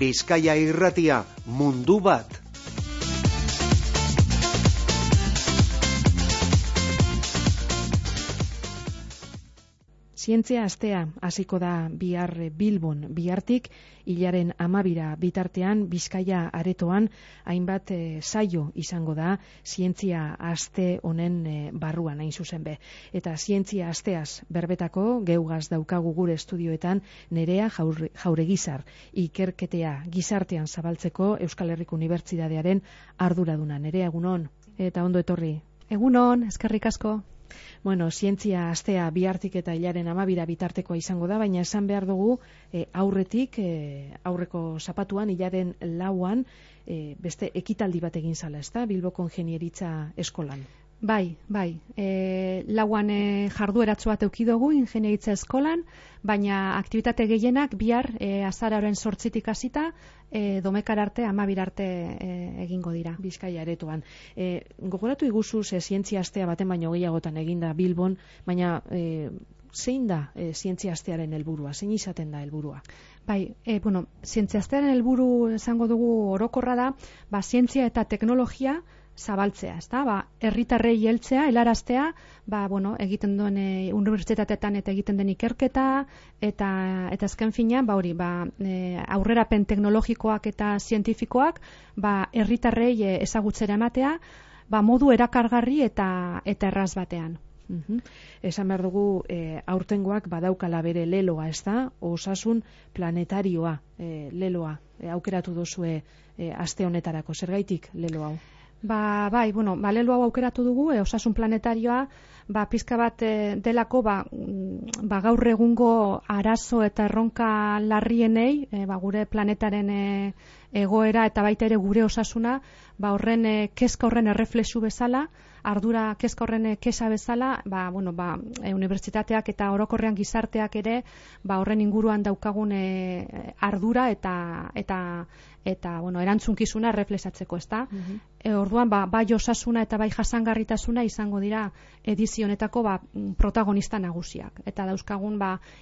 Bizkaia Irratia, mundu bat. Zientzia astea hasiko da bihar Bilbon, bihartik hilaren 12 bitartean Bizkaia aretoan hainbat saio izango da zientzia aste honen barruan hain zuzen be. Eta zientzia asteaz berbetako geugaz daukagu gure estudioetan Nerea Jauregizar, ikerketea gizartean zabaltzeko Euskal Herriko Unibertsitatearen arduraduna. Nerea, egunon, eta ondo etorri. Egunon, eskerrik asko. Bueno, zientzia astea bihartik eta hilaren 12 bitartekoa izango da, baina esan behar dugu aurretik, aurreko zapatuan, hilaren 4an, beste ekitaldi bat egin zala, ezta? Bilboko Ingeniaritza Eskolan. Bai. 4an jardueratxo bat eduki dugu Ingeniaritza Eskolan, baina aktibitate gehienak bihar azaroaren 8tik hasita domekara arte 12 arte egingo dira. Bizkaia aretoan. Gogoratu iguzu zientzia astea baten baino gehiagotan eginda Bilbon, baina zein da zientzia astearen helburua? Zein izaten da helburua? Bai, zientzia astearen helburu esango dugu orokorra da, zientzia eta teknologia zabaltzea, ezta? Herritarrei heltzea, helaraztea, egiten duen unibertsitateetan eta egiten den ikerketa eta azken finean, aurrerapen teknologikoak eta zientifikoak, herritarrei ezagutzera ematea, modu erakargarri eta erraz batean. Esan behar dugu aurtengoak badaukala bere leloa, ezta? Osasun planetarioa leloa aukeratu duzue aste honetarako. Zergaitik lelo hau? Lelo hau aukeratu dugu, osasun planetarioa, pizka bat delako, gaur egungo arazo eta erronka larrienei, gure planetaren egoera eta baita ere gure osasuna, horren kezka horren erreflexu bezala, ardura kezka horren kesa bezala, unibertsitateak eta orokorrean gizarteak ere, horren inguruan daukagun ardura eta erantzunkizuna erreflexatzeko, ezta? Orduan, bai osasuna eta bai jasangarritasuna izango dira edizio honetako protagonista nagusiak. Eta dauzkagun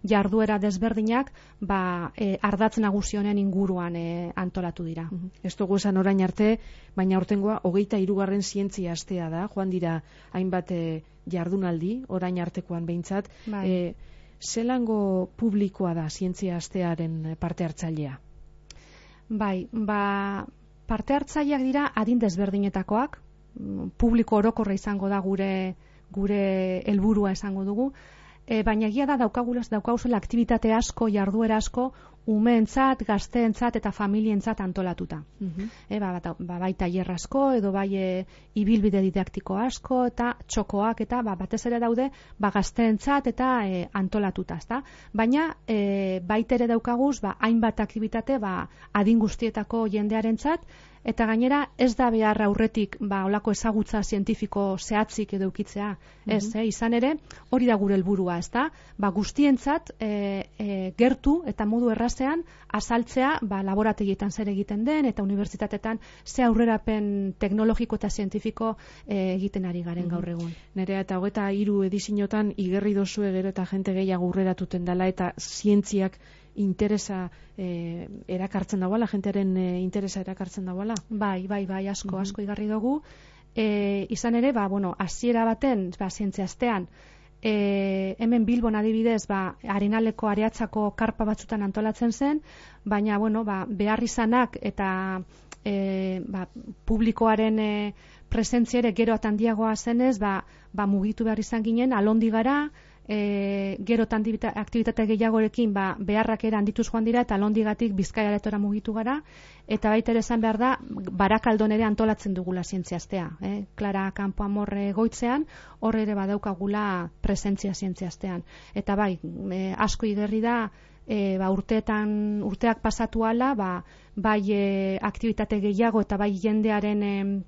jarduera desberdinak ardatz nagusi honen inguruan antolatu dira. Ez dugu esan orain arte, baina aurtengoa 23. zientzia astea da, joan dira hainbat jardunaldi, orain artekoan behintzat. Zelango publikoa da zientzia astearen parte hartzailea? Parte hartzaileak dira adin desberdinetakoak, publiko orokorra izango da gure helburua esango dugu, baina egia da daukaguzela aktibitate asko, jarduera asko, umeentzat, gazteentzat eta familientzat antolatuta. Bai tailer asko, edo bai ibilbide didaktiko asko, eta txokoak, eta batez ere daude gazteentzat eta antolatuta, ezta? Baina baita ere daukaguz, hainbat aktibitate adin guztietako jendearentzat, eta gainera ez da behar aurretik olako ezagutza zientifiko zehatzik edo ukitzea. Izan ere, hori da gure helburua, ezta? Guztientzat gertu eta modu errazean azaltzea laborategietan zer egiten den eta unibertsitatetan ze aurrerapen teknologiko eta zientifiko egiten ari garen gaur egun. Nerea, eta 23 ediziotan igerri dozue gero eta jente gehiago aurreratuten dela eta zientziak interesa erakartzen dagoela, jentearen interesa erakartzen dagoela? Bai, asko igarri dugu. Izan ere, hasiera baten, zientzia astean, hemen Bilbon adibidez, Arenaleko Areatzako karpa batzutan antolatzen zen, baina, behar izanak eta publikoaren presentzia ere gero eta handiagoa zenez, mugitu behar izan ginen, alondi gara, gero aktibitate gehiagorekin beharrak ere handituz joan dira eta alondigatik Bizkaia aretora mugitu gara, eta baita ere esan behar da Barakaldon ere antolatzen dugula zientzia astea. Clara Campoamor goitzean, hor ere badaukagula presentzia zientzia astean. Eta asko igerri da urteak pasatu ala, bai aktibitate gehiago eta bai jendearen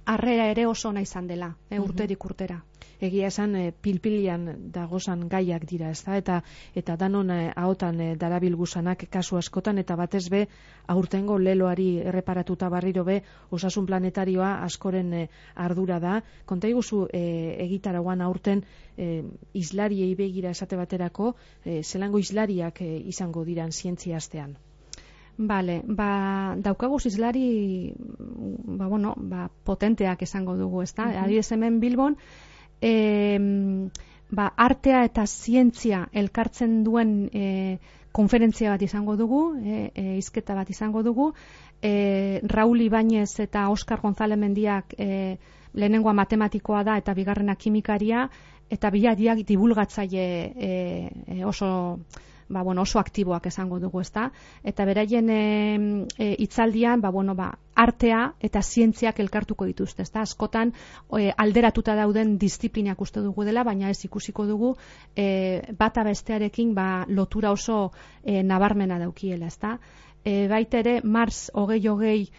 harrera ere oso ona izan dela, urterik urtera. Egia esan pilpilian dagozan gaiak dira, ezta? Eta danon ahotan darabilguzanak kasu askotan, eta batez be aurtengo leloari erreparatuta berriro be osasun planetarioa askoren ardura da. Konta iguzu egitaragoan aurten islariei begira esate baterako, zelango islariak izango diran zientzia astean? Bale, daukagu zizlari potenteak esango dugu, ezta? Adibidez hemen Bilbon, artea eta zientzia elkartzen duen konferentzia bat izango dugu, hizketa bat izango dugu, Raúl Ibáñez eta Óscar González Mendiak lehenengoa matematikoa da eta bigarrena kimikaria, eta biladiak divulgatzaile oso aktiboak esango dugu, ezta? Eta beraien hitzaldian, artea eta zientziak elkartuko dituzte, ezta? Askotan alderatuta dauden disiplinak uste dugu dela, baina ez ikusiko dugu bata bestearekin lotura oso nabarmena daukiela, ezta? Baita ere, Mars 2020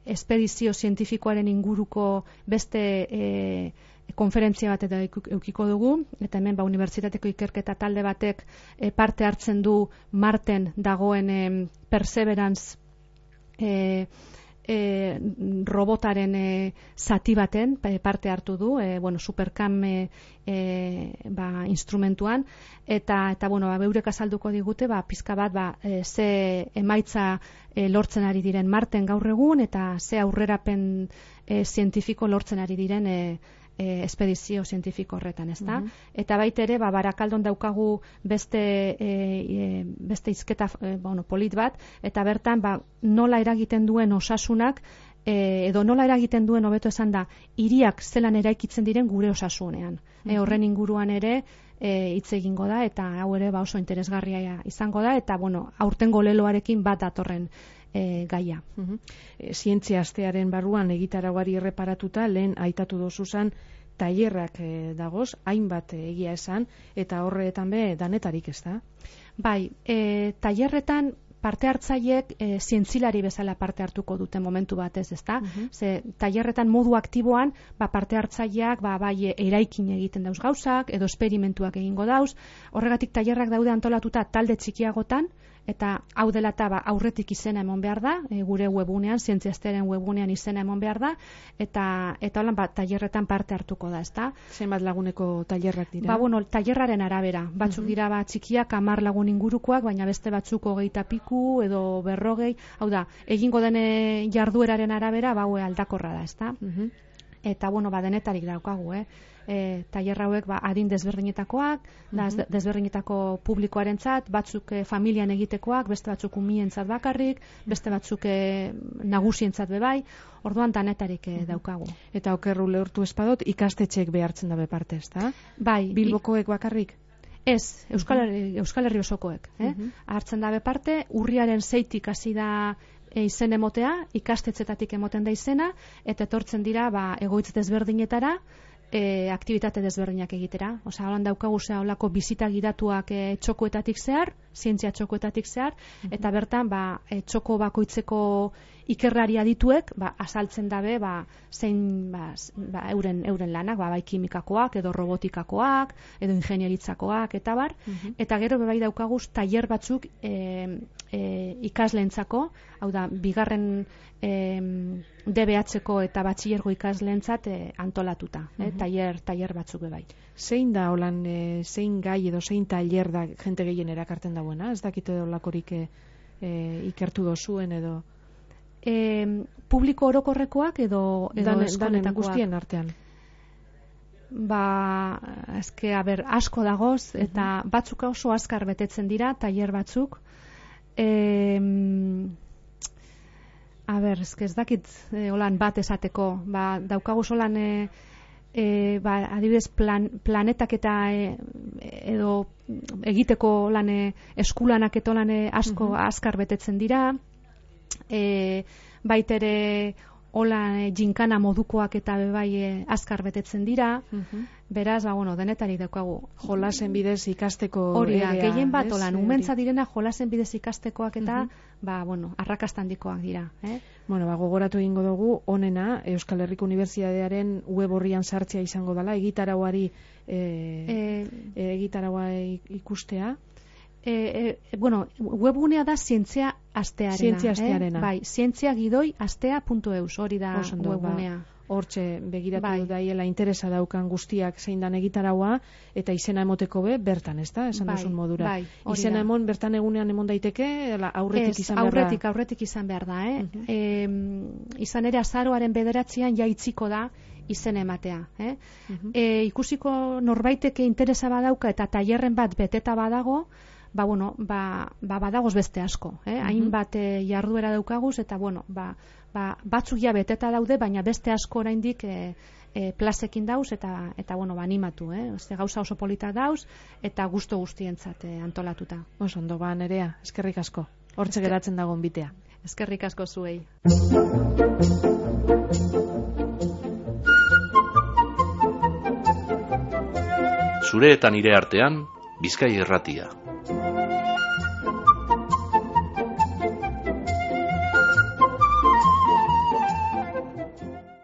espedizio zientifikoaren inguruko beste konferentzia bat eta eukiko dugu, eta hemen unibertsitateko ikerketa talde batek parte hartzen du Marten dagoen Perseverance robotaren zati baten parte hartu du, Supercam instrumentuan, eta beurek azalduko digute pizka bat ze emaitza lortzen ari diren Marten gaur egun, eta ze aurrerapen zientifiko lortzen ari diren espedizio zientifiko horretan, ezta? Eta baita ere, Barakaldon daukagu beste hizketa polit bat, eta bertan nola eragiten duen osasunak, edo nola eragiten duen, hobeto esan da, hiriak zelan eraikitzen diren gure osasunean. Horren inguruan ere hitz egingo da, eta hau ere oso interesgarria izango da, eta aurtengo leloarekin bat datorren gaia. Zientzia astearen barruan egitarauari erreparatuta, lehen aitatu dozuzan tailerrak dagoz, hainbat egia esan, eta horretan danetarik, ez da? Bai, tailerretan parte hartzaileek zientzilari bezala parte hartuko dute momentu batez, ezta? Ze tailerretan modu aktiboan parte hartzaileak bai eraikin egiten dauz gauzak, edo esperimentuak egingo dauz. Horregatik tailerrak daude antolatuta talde txikiagotan, eta hau dela eta aurretik izena emon behar da, gure webunean, zientziaztearen webunean izena emon behar da, eta holan tailerretan parte hartuko da, ezta? Zenbat laguneko tailerrak dira? Tailerraren arabera. Batzuk dira txikiak 10 lagun ingurukoak, baina beste batzuk 20 piku edo 40, hau da, egingo den jardueraren arabera, aldakorra da, ezta? Eta, denetarik daukagu, tailer hauek adin desberdinetakoak, desberdinetako publikoarentzat, batzuk familian egitekoak, beste batzuk umientzat bakarrik, beste batzuk nagusientzat bebai, orduan denetarik daukagu. Eta okerru lehortu espadot, ikastetxeek behartzen dabe parte, ezta? Bai. Bilbokoek bakarrik? Ez, Euskal Herri osokoek. Hartzen dabe parte, urriaren 6tik hasi da izen emotea, ikastetxetatik emoten da izena, eta etortzen dira egoitz desberdinetara, aktibitate desberdinak egitera. Osa, holan daukagu holako bizita gidatuak txokoetatik zehar, zientzia txokoetatik zehar, eta bertan txoko bakoitzeko ikerrari adituek azaltzen dabe zein euren lanak, bai kimikakoak, edo robotikakoak, edo ingenieritzakoak, eta bar. Eta gero bai daukagu tailer batzuk ikasleentzako, hau da, bigarren DBH-ko eta batxilergo ikasleentzat antolatuta, tailer batzuk bai. Zein da holan, zein gai edo zein tailer da jente gehien erakarten dagoena? Ez dakite olakorik ikertu dozuen edo? Publiko orokorrekoak edo eskoletakoak? Guztien artean. Asko dagoz, eta batzuk oso azkar betetzen dira, tailer batzuk. Ez dakit holan bat esateko. Daukagu holan adibidez planetak eta edo egiteko lan eskulanak eta lan asko azkar betetzen dira. Baitere hola jinkana modukoak eta bai azkar betetzen dira. Beraz, denetarik daukagu. Jolasen bidez ikasteko hori da, gehien bat holan, umentza direna jolasen bidez ikastekoak eta arrakastandikoak dira. Gogoratu egingo dugu, honena, Euskal Herriko Unibertsitatearen web horrian sartzea izango dela, egitarauari egitaraua ikustea. Webgunea da zientzia astearena. Zientzia astearena. Bai, zientziagidoi astea.eus, hori da webgunea. hortxe begiratu daiela interesa daukan guztiak zein dan egitaraua, eta izena emoteko bertan, ez da, esan duzun modura. Izena emon, bertan egunean emon daiteke, aurretik izan behar da? Aurretik izan behar da, izan ere azaroaren 9 jaitziko da izen ematea. Ikusiko norbaiteke interesa badauka eta tailerren bat beteta badago, badagoz beste asko. Hainbat jarduera daukaguz, eta batzuk ja beteta daude, baina beste asko oraindik plazekin dauz, eta animatu. Gauza oso polita dauz, eta gustu guztientzat antolatuta. Oso ondo, Nerea, eskerrik asko. Hortxe geratzen dagoen bitea. Eskerrik asko zuei. Zure eta nire artean, Bizkai Irratia.